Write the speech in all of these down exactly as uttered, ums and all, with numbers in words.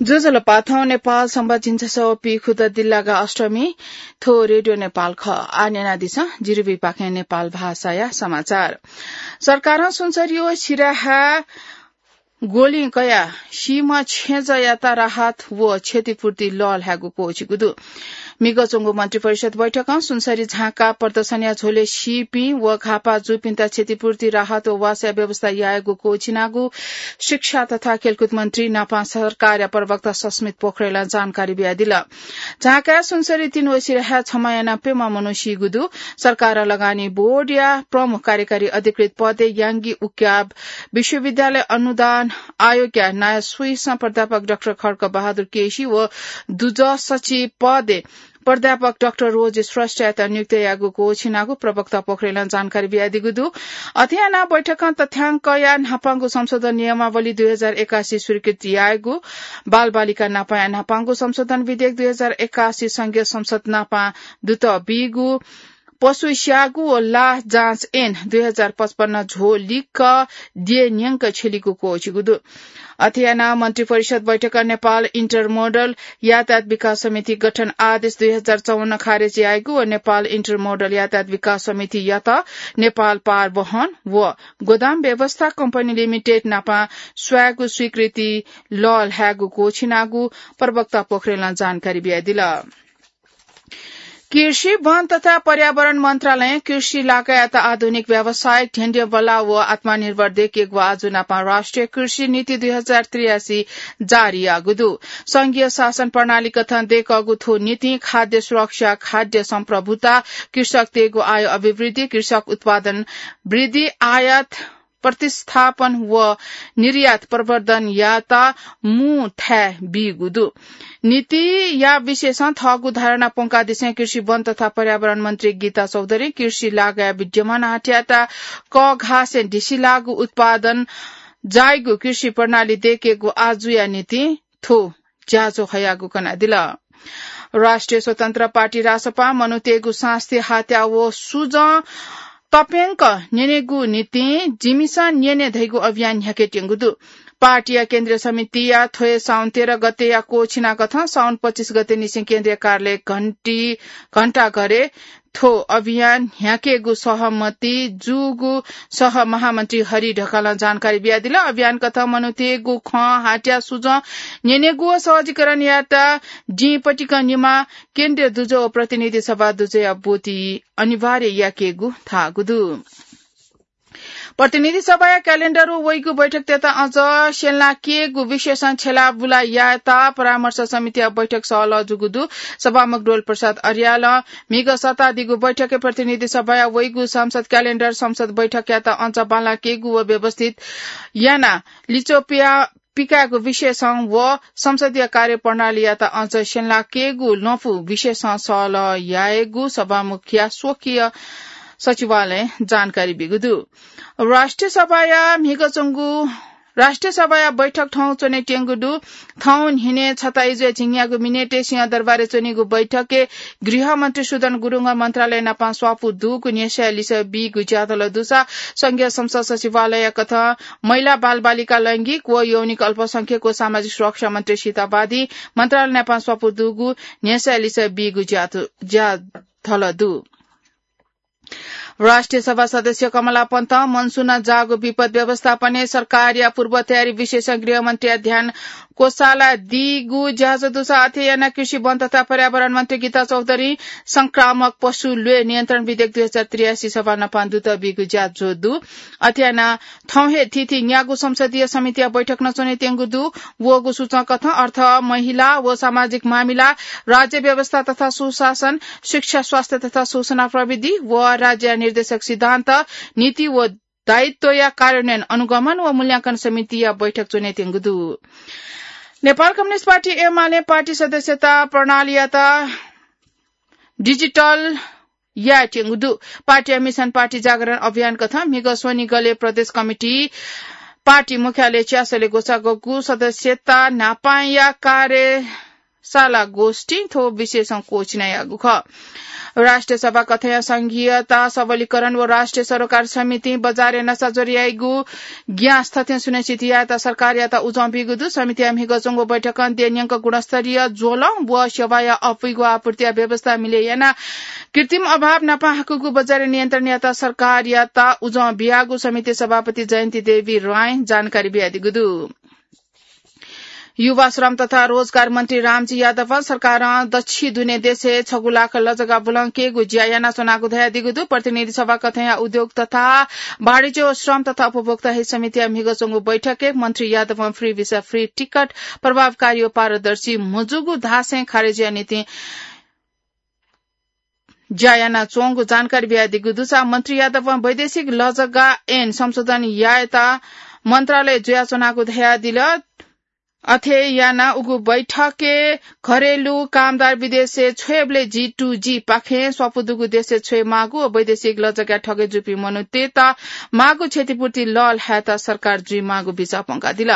ज्वजलपा, थौं नेपाल संवत् झिंछसः व पीखुदँ दिल्लागा अष्टमी। थ्व रेडियो नेपाल खः। आः न्यनादिसँ जिरिबीपाखें नेपाल भाषाया समाचार। सरकारं सुनसरी व सिराहा ग्वलिं कयाः सीम्ह छेँजःयात राहत व क्षतिपूर्ति लःल्हायेगु क्वःछिगु दु। म्हिगः च्वंगु मन्त्रिपरिषद बैठकं सुनसरी झाँक्का प्रदर्शनया झ्वलय् सीपिं व घाःपाः जूपिन्त क्षतिपूर्ति राहत व वासःया व्यवस्था यायेगु क्वःछिनागु शिक्षा तथा खेलकुद मन्त्री नापं सरकारया प्रवक्ता सस्मित पोखरेलं जानकारी बियादिल। झाँक्काय् सुनसरी तीन व सिराहाय् छम्हं यानाः प्यम्ह मनू सीगु दु। सरकारं लगानी बोर्डया प्रमुख कार्यकारी अधिकृत पदय् याङ्गी उक्याब, विश्वविद्यालय अनुदान आयोगया नायः स्वइसं प्राध्यापक डाक्टर खड्ग बहादुर केसी व दुजः सचिव पदय् प्राध्यापक डाक्टर रोज श्रेष्ठयात नियुक्त यायेगु क्वःछिनागु प्रवक्ता पोखरेलं जानकारी बियादीगु दु। अथे यानाः बैठकं तथ्याङ्कया न्हापांगु संशोधन नियमावली दुई हजार एकासी स्वीकृत यायेगु, बालबालिका नापांया न्हापांगु संशोधन विधेयक दुई हजार एकासी संघीय संसद नापां दुत बीगु, पशु स्याःगु व लाः जाँच ऐन दुई हजार पचपन्न झ्वः लिक्क द्यः न्यंक छ्यलीगु क्वःछिगु दु। अथे यानाः मन्त्रिपरिषद बैठकं नेपाल इन्टरमोडल यातायात विकास समिति गठन आदेश दुई हजार चौवन्न खारेज यायेगु व नेपाल इन्टरमोडल यातायात विकास समितियात नेपाल पार वहन व गोदाम व्यवस्था कम्पनी लिमिटेड नापं स्वायेगु स्वीकृति लःल्हायेगु क्वःछिनागु प्रवक्ता पोखरेलं जानकारी बियादिल। कृषि, वन तथा पर्यावरण मन्त्रालयं कृषि लागायत आधुनिक व्यावसायिक ढ्यंढ्यंबल्लाः व आत्मनिर्भर दयेकेगु आजु नापं राष्ट्रिय कृषि नीति दुई हजार त्रियासी जारी याःगु दु। संघीय शासन प्रणाली कथं दयेकःगु थ्व नीतिं खाद्य सुरक्षा, खाद्य सम्प्रभुता, कृषकतय्गु आय अभिवृद्धि, कृषक उत्पादन वृद्धि, आयात प्रतिस्थापन व निर्यात प्रवर्धनयात मू थाय् बीगु दु। नीतिया विषयसं थःगु धारणा प्वंकादिसें कृषि, वन तथा पर्यावरण मन्त्री गीता चौधरीं कृषि लागाय् विद्यमान हाट्यात कःघासें ढिसिलाःगु उत्पादन जाइगु कृषि प्रणाली दयेकेगु आजुया नीतिं थ्व ज्याझ्वः हयागु कनादिल। राष्ट्रिय स्वतन्त्र पार्टी रासपां मनूतय्गु सास्ती हात्या व सुजं तप्यंक न्यनेगु निंतिं जिमिसं न्यने धइगु अभियान न्ह्याकेत्यंगु दु। पार्टीया केन्द्रीय समितिया थ्वय् साउन तेह्र गतेया क्वःछिनाकथं साउन पच्चिस गते निसें केन्द्रीय कार्यालय घण्टी, घण्टाघरय् थ्व अभियान न्ह्याकेगु सहमति जूगु सह महामन्त्री हरि ढकालं जानकारी बियादिल। अभियानकथं मनूतय्गु खँ हात्या सुजं न्यनेगु व सहजीकरण यायेत दिं पतिकं निम्ह केन्द्रीय दुजः व प्रतिनिधि सभा दुजःया ब्वति अनिवार्य याकेगु धाःगु दु। प्रतिनिधि सभाया क्यालेण्डर व वइगु बैठकतय्त अझ स्यंलाकेगु विषयसं छ्यलाबुला यायेत परामर्श समितिया बैठक सहलह जूगु दु। सभामुख डोल प्रसाद अर्यालं म्हिगः सतादीगु बैठकय् प्रतिनिधि सभाया वइगु संसद क्यालेण्डर, संसद बैठकयात अझ बांलाकेगु व व्यवस्थित यानाः लिच्वः पिया पिकायेगु विषयसं व संसदीय कार्यप्रणालीयात अझ स्यंलाकेगु लँपु विषयसं सहलह यायेगु सभामुखया स्वकीय सचिवालयं जानकारी बीगु दु। राष्ट्रिय सभाया म्हिगः च्वंगु, राष्ट्रिय सभाया बैठक थौं च्वनेत्यंगु दु। थौं न्हिनय् छता इजुया झिंन्यागू मिनेटय् सिंहदरबारय् च्वनीगु बैठकय् गृहमन्त्री सुदन गुरुङं मन्त्रालय नापं स्वापू दुगु न्ह्यसःया लिसः बीगु ज्याझ्वलय् दुसा संघीय संसद सचिवालयकथं महिला, बालबालिका, लैंगिक व यौनिक अल्पसंख्यक व सामाजिक सुरक्षा मन्त्री सीता वादी मन्त्रालय नापं स्वापू दुगु न्ह्यसःया लिसः बीगु ज्या, ज्याझ्वलय् दु। राष्ट्रिय सभा सदस्य कमला पन्तं मनसुन जाःगु विपद व्यवस्थापनय् सरकारया पूर्व तयारी विषयसं गृहमन्त्रीया ध्यान क्वसाला दीगु ज्याझ्वः दुसा अथे यानाः कृषि, वन तथा पर्यावरण मन्त्री गीता चौधरीं संक्रामक पशु ल्वय् नियन्त्रण विधेयक दुई हजार त्रियासी सभा नापं दुत बीगु ज्याझ्वः दु। अथे यानाः थौं हे थीथी न्यागू संसदीय समितिया बैठक नं च्वनेत्यंगु दु। वःगु सूचंकथं अर्थ, महिला व सामाजिक मामिला, राज्य व्यवस्था तथा सुशासन, शिक्षा, स्वास्थ्य तथा सूचना प्रविधि व राज्यया निर्देशक सिद्धान्त, नीति व दायित्वया कार्यान्वयन अनुगमन व मूल्यांकन समितिया बैठक च्वनेत्यंगु दु। नेपाल कम्युनिस्ट पार्टी एमाले पार्टी सदस्यता प्रणालीयात डिजिटल यायेत्यंगु दु। पार्टीया मिसन पार्टी जागरण अभियानकथं म्हिगः स्वनिगलय् प्रदेश कमिटी पार्टी मुख्यालय च्यासलय् ग्वसाः ग्वःगु सदस्यता न्हापांया कार्य साला गोष्ठीं थ्व विषयसं क्वःछिनायागु खः। राष्ट्रिय सभा कथंया संघीयता सबलीकरण व राष्ट्रिय सरोकार समितिं बजारय् नसाज्वर याइगु ग्यास थथें सुनिश्चित यायेत सरकारयात उजं बीगु दु। समितिया म्हिगः च्वंगु बैठकं देय् न्यंक गुणस्तरीय ज्वलं व सेवाया अपुइगु आपूर्तिया व्यवस्था मिले यानाः कृत्रिम अभाव नापं हाकूगु बजारय् नियन्त्रण यायेत सरकारयात उजं बियागु समिति सभापति जयन्ती देवी रायं जानकारी बियादीगु दु। युवा, श्रम तथा रोजगार मन्त्री रामजी यादवं सरकारं दच्छि दुने देशय् छगू लाख लजगा बुलंकेगु ज्या यानाच्वनागु धयादीगु दु। प्रतिनिधि सभा कथंया उद्योग तथा वाणिज्य व श्रम तथा उपभोक्ता हित समितिया म्हिगः च्वंगु बैठकय् मन्त्री यादवं free visa, free ticket प्रभावकारी व पारदर्शी मजूगु धासें खारेजीया निंतिं ज्या यानाच्वंगु जानकारी बियादीगु दुसा मन्त्री यादवं वैदेशिक लजगा ऐन संशोधन यायेत मन्त्रालय जुयाच्वनागु धयादिल। अथे यानाः उगु बैठकय् घरेलु कामदार विदेशय् छ्वयेबलय् G to G पाखें स्वापू दुगु देशय् छ्वये माःगु व वैदेशिक लजगाय् ठगे जूपिं मनूतय्त माःगु क्षतिपूर्ति लःल्हायेत सरकार जुइमाःगु बिचाः प्वंकादिल।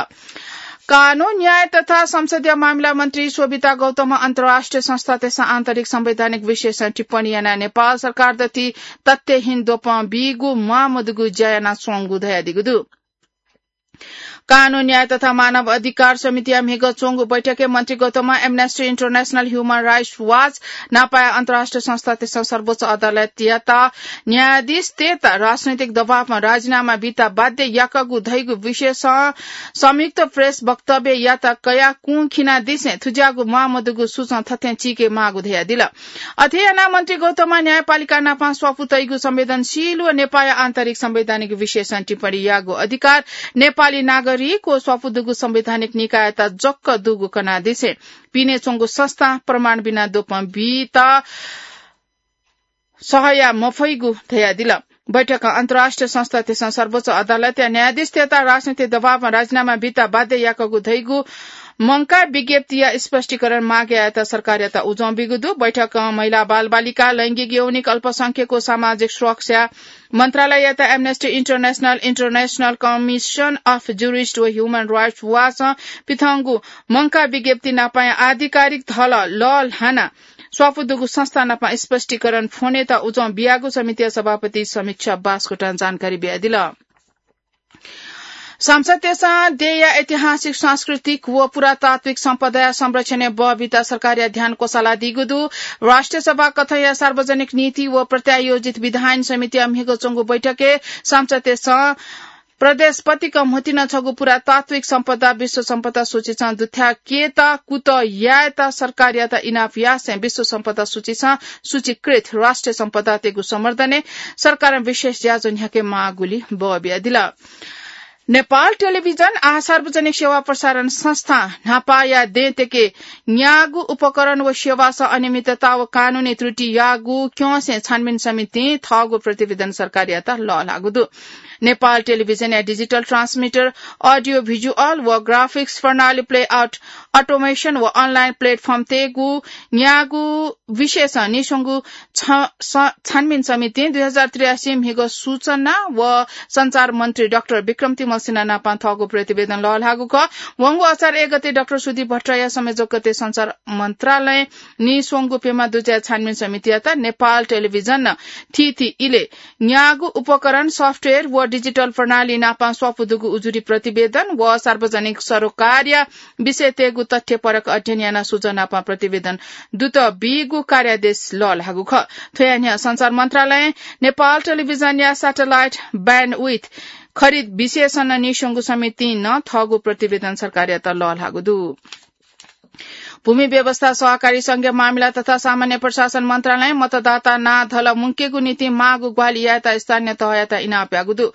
कानून, न्याय तथा संसदीय मामिला मन्त्री शोभिता गौतमं अन्तर्राष्ट्रिय संस्थातय्सं आन्तरिक संवैधानिक विषयसं टिप्पणी यानाः नेपाल सरकार दथुइ तथ्यहीन द्वपं बीगु म्वाःमदुगु ज्या यानाच्वंगु धयादीगु दु। कानून, न्याय तथा मानव अधिकार समितिया म्हिगः च्वंगु बैठकय् मन्त्री गौतमं Amnesty International, Human Rights Watch नापाया अन्तर्राष्ट्रिय संस्थातय्सं सर्वोच्च अदालतयात न्यायाधीशतय्त राजनैतिक दबावं राजीनामा बीत बाध्य याकःगु धइगु विषयसं संयुक्त प्रेस वक्तव्ययात कयाः कुं खिनादिसें थुज्याःगु म्वाःमदुगु सुचं थथें चीके माःगु धयादिल। अथे यानाः मन्त्री गौतमं न्यायपालिका नापं स्वापू तइगु संवेदनशील व नेपाःया आन्तरिक संवैधानिक विषयसं टिप्पणी याःगु अधिकार नेपाली नागरिक व स्वापू दुगु संवैधानिक निकाययात जक्क दुगु कनादिसें पिने च्वंगु संस्थां प्रमाण बिना द्वपं बीत सहया मफइगु धयादिल। बैठकं अन्तर्राष्ट्रिय संस्थातय्सं सर्वोच्च अदालतया न्यायाधीशतय्त राजनैतिक दबावं राजीनामा बीत बाध्य याकःगु धइगु मंकाः विज्ञप्तिया स्पष्टीकरण माग यायेत सरकारयात उजं बीगु दु। बैठकं महिला, बालबालिका, लैंगिक यौनिक, अल्पसंख्यक व सामाजिक सुरक्षा मन्त्रालययात Amnesty International, International Commission of Jurists व Human Rights Watch-ं पिथंगु मंकाः विज्ञप्ति नापाया आधिकारिक धलः लःल्हानाः स्वापू दुगु संस्था नाप स्पष्टीकरण फ्वनेत उजं बियागु समितिया सभापति समीक्षा बास्कोटां जानकारी बियादिल। संसदतय्सं देय्या ऐतिहासिक, सांस्कृतिक व पुरातात्विक सम्पदाया संरक्षणय् बः बीत सरकारया ध्यान क्वसालादीगु दु। राष्ट्रिय सभा कथंया सार्वजनिक नीति व प्रत्यायोजित विधायन समितिया म्हिगः च्वंगु बैठकय् संसदतय्सं प्रदेशपतिक म्हुतुं नं छगू पुरातात्विक सम्पदा विश्व सम्पदा सूचीसं दुथ्याकेत कुतः यायेत सरकारयात इनाप यासें विश्व सम्पदा सूचीसं सूचीकृत राष्ट्रिय सम्पदातय्गु संवर्धनय् सरकारं विशेष ज्याझ्वः न्ह्याके माःगुलिं बः बियादिल। नेपाल टेलिभिजन आः सार्वजनिक सेवा प्रसारण संस्थां न्हापाया दँय् तके न्यागू उपकरण व सेवासं अनियमितता व कानूनी त्रुटि याःगु क्यंसें छानबिन समितिं थःगु प्रतिवेदन सरकारयात लःल्हाःगु दु। नेपाल टेलिभिजनया digital transmitter, audio visual व graphics प्रणाली, playout automation व online platform तय्गु न्यागू विषयसं नीस्वंगु छ-, स-, छानबिन समितिं दुई हजार त्रियासी म्हिगः सूचना व सञ्चार मन्त्री डाक्टर विक्रम तिमल सिन्हा नाप थःगु प्रतिवेदन लःल्हाःगु खः। वंगु असार एक गते डाक्टर सुदीप भट्टराईया संयोजकत्वय् सञ्चार मन्त्रालयं नीस्वंगु प्यम्ह दुजःया छानबिन समितियात नेपाल टेलिभिजनं थीथी इलय् न्यागू उपकरण, software व digital प्रणाली नाप स्वापू दुगु उजुरी प्रतिवेदन व सार्वजनिक सरोकारया विषयतय्गु तथ्यपरक अध्ययन यानाः सुझाव नाप प्रतिवेदन दुत बीगु कार्यादेश लःल्हाःगु खः। थ्वया न्ह्यः सञ्चार मन्त्रालयं नेपाल टेलिभिजनया satellite bandwidth खरिद विषयसं नं नीस्वंगु समितिं नं थःगु प्रतिवेदन सरकारयात लःल्हाःगु दु। भूमि व्यवस्था, सहकारी संघीय मामिला तथा सामान्य प्रशासन मन्त्रालयं मतदाता नां धलः मुंकेगु निंतिं माःगु ग्वाहालि यायेत स्थानीय तहयात इनाप याःगु दु।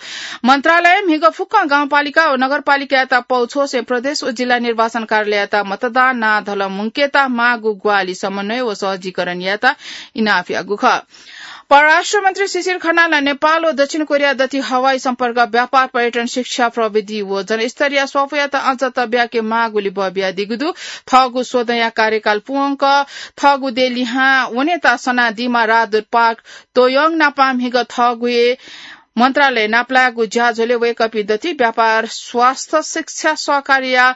मन्त्रालयं म्हिगः फुक्कं गाउँपालिका व नगरपालिकायात पौ छ्वसें प्रदेश व जिल्ला निर्वाचन कार्यालययात मतदान नां धलः मुंकेत माःगु ग्वाहालि समन्वय व सहजीकरण यायेत इनाप याःगु खः। परराष्ट्र मन्त्री शिशिर खनालं नेपाल व दक्षिण कोरिया दथुइ हवाई सम्पर्क, व्यापार, पर्यटन, शिक्षा, प्रविधि व जनस्तरीय स्वापूयात अझ तब्याके माःगुलिं बः बियादीगु दु। थःगु स्वदँया कार्यकाल पूवंक थःगु देय् लिहां वनेत सनादीम्ह राजदूत पार्क तोयोङ नाप म्हिगः थःगु हे मन्त्रालय नापलायेगु ज्याझ्वलय् वय्कःपिं दथुइ व्यापार, स्वास्थ्य, शिक्षा, सहकारीया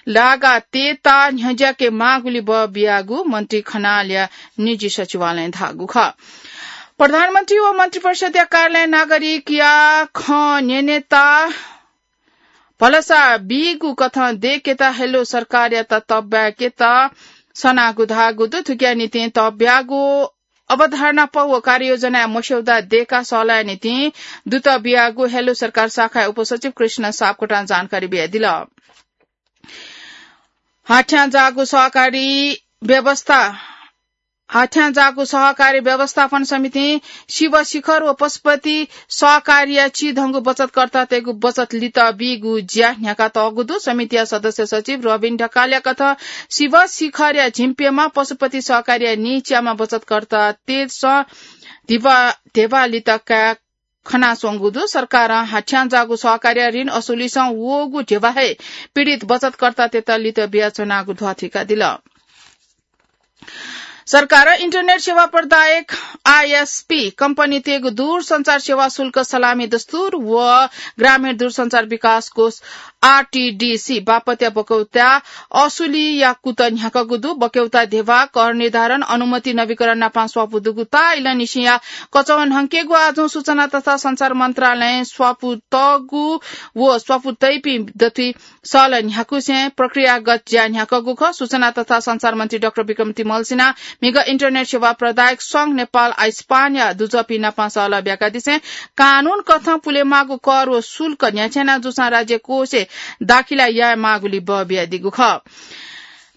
लागा तयेत न्ह्यज्याके माःगुलि बः बियागु मन्त्री खनालया निजी सचिवालयं धाःगु खः। प्रधानमन्त्री व मन्त्रिपरिषदया कार्यालय नागरिकया खँ न्यनेत भलसा बीगु कथं दय्केत हेलो सरकारयात तब्याकेत सनागु धाःगु दु। थुकिया निंतिं तब्यागु अवधारणा प व कार्ययोजनाया मस्यौदा दय्काः सःलाया निंतिं दुत बियागु हेलो सरकार शाखाया उपसचिव कृष्ण सापकोटां जानकारी बियादिल। हाथ्यां जाःगु सहकारी व्यवस्था, हाथ्यां जाःगु सहकारी व्यवस्थापन समितिं शिव शिखर व पशुपति सहकारीया चिधंगु बचतकर्तातय्गु बचत लित बीगु ज्या न्ह्याका तःगु दु। समितिया सदस्य सचिव रबिन ढकालया कथं शिव शिखरया झिंप्यम्ह, पशुपति सहकारीया नीच्याम्ह बचतकर्तातय्सं धिबा, ध्यबा लित काये खनाच्वंगु दु। सरकारं हाथ्यां जाःगु सहकारीया ऋण असुलीसं वःगु ध्यबा हे पीडित बचतकर्तातय्त लित बियाच्वनागु ध्वाथुइकादिल। सरकारं इन्टरनेट सेवा प्रदायक, आईएसपी, कम्पनीतय्गु दूरसञ्चार सेवा शुल्क सलामी दस्तुर व ग्रामीण दूरसञ्चार विकास कोष, आरटीडीसी, बापतया बक्यौता असुलीया कुत न्ह्याकूगु दु। बक्यौता ध्यबा, कर निर्धारण, अनुमति नवीकरण नापं स्वापू दुगु ताःइलंनिसेंया कचवः न्हंकेगु आजुं सूचना तथा सञ्चार मन्त्रालयं स्वापू तःगु व स्वापू तइपिं दथुइ सहलह न्ह्याकुसें प्रक्रियागत ज्या न्ह्याकूगु खः। सूचना तथा सञ्चार मन्त्री डाक्टर विक्रम तिमल्सिनां म्हिगः इन्टरनेट सेवा प्रदायक संघ नेपाल आइस्पानया दुजःपिं नापं सहलह ब्याकादिसें कानून कथं पुलेमाःगु कर व शुल्क न्ह्याथ्याना जूसां राज्य कोषय् दाखिला यायेमाःगुलि बः बियादीगु खः।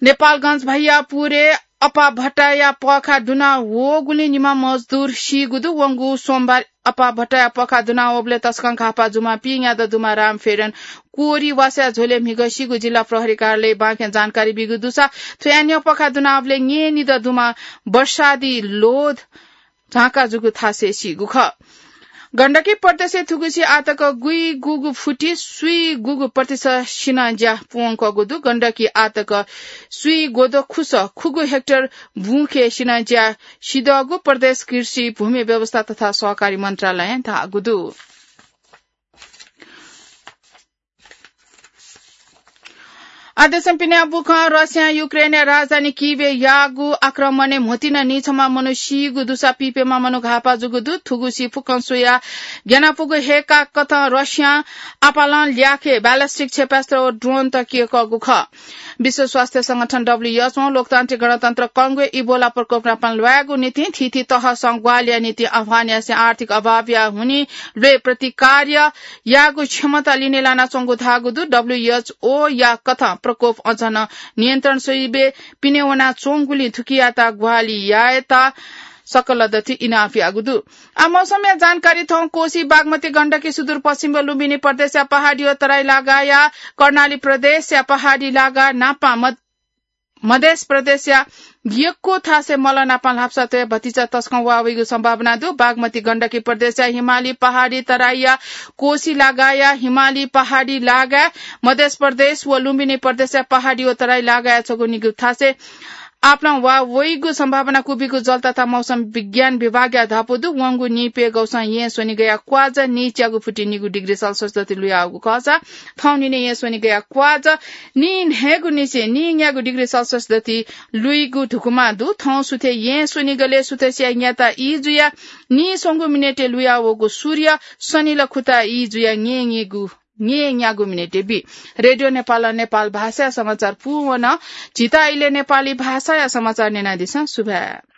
नेपालगञ्ज भैयापुरय् अपाः भट्टाया पःखाः दुना वःगुलिं निम्ह मजदुर सीगु दु। वंगु सोमबार अपाः भट्टाया पःखाः दुना वःबलय् तसकं घाःपाः जूम्ह पिंयादँ दुम्ह रामफेरन कोरी वासःया झ्वलय् म्हिगः सीगु जिल्ला प्रहरी कार्यालयं बांलाक जानकारी बीगु दुसा थ्व यानाः पःखाः दुना वःबलय् न्यय्निदँ दुम्ह वर्षादी लोध झांका जूगु थासय् सीगु खः। गण्डकी प्रदेशय् थुगुसी आःतक गुइगुगु फुति सुइगुगु प्रतिशत सिनज्या पूवंकूगु दु। गण्डकी आःतक सुइगोदँखुस खुगू हेक्टर बुँखय् सिनज्या सिधःगु प्रदेश कृषि, भूमि व्यवस्था तथा सहकारी मन्त्रालयं धाःगु दु। आदेशं पिने बुखं रसियां युक्रेनया राजधानी किभय् याःगु आक्रमणय् म्होतिं नं नीछम्ह मनू सीगु दुसा पीप्यम्ह मनू घाःपाः जूगु दु। थुगुसी फुक्कं स्वयाः ग्यानापुगु हे काकथं रसियां आपालं ल्याखय् ballistic क्षेपणास्त्र व drone तक यंकूगु खः। विश्व स्वास्थ्य संगठन, डब्ल्यूएचओ, लोकतान्त्रिक गणतन्त्र कंगोय् इबोला प्रकोप नापं ल्वायेगु निंतिं थीथी तहसं ग्वाहालिया निंतिं आह्वान यासें आर्थिक अभावया हुनिं ल्वय् प्रतिकार यायेगु क्षमता लिने लानाच्वंगु धाःगु दु। डब्ल्यूएचओया कथं प्रकोप अझ नं नियन्त्रण स्वइबय् पिने वनाच्वंगुलिं थुकियात ग्वाहालि यायेत सकल दथुइ इनाप याःगु दु। आ, मौसमया जानकारी थौं। कोसी, बागमती, गण्डकी, सुदूरपश्चिम व लुम्बिनी प्रदेशया पहाडी व तराई लागाया, कर्णाली प्रदेशया पहाडी लागा नापं मध-, मधेस प्रदेशया यक्व थासय् मल नापं ल्हापसा तयाः भतिचा तसकं वाः वइगु सम्भावना दु। बागमती, गण्डकी प्रदेशया हिमाली पहाडी तराईया कोसी लागाया हिमाली पहाडी लागा, मधेस प्रदेश व लुम्बिनी प्रदेशया पहाडी व तराई लागाया छगू निगू थासय् आपालं वाः वइगु सम्भावना क्वबिगु जल तथा मौसम विज्ञान विभागया धापू दु। वंगु नीप्यघौसं येँ स्वनिगःया क्वाजा नीच्यागु फुति निगू डिग्री सेल्सियस दथुइ लुयावःगु खःसा थौं न्हिनय् येँ स्वनिगःया क्वाजा नीन्हय्गुनिसें नीन्यागू डिग्री सेल्सियस दथुइ लुइगु धुकुमा दु। थौं सुथय् येँ स्वनिगलय् सुथसिया न्याता ई जुयाः नीस्वंगू मिनेटय् लुयावःगु सूर्य सनिल खुता ई जुयाः न्येन्येगु, न्येन्यागू मिनेटय् बी। रेडियो नेपालं नेपाल भाषाया समाचार पूवन। झीत इलय् नेपाली भाषाया समाचार न्यनादिसँ। सुभाय्।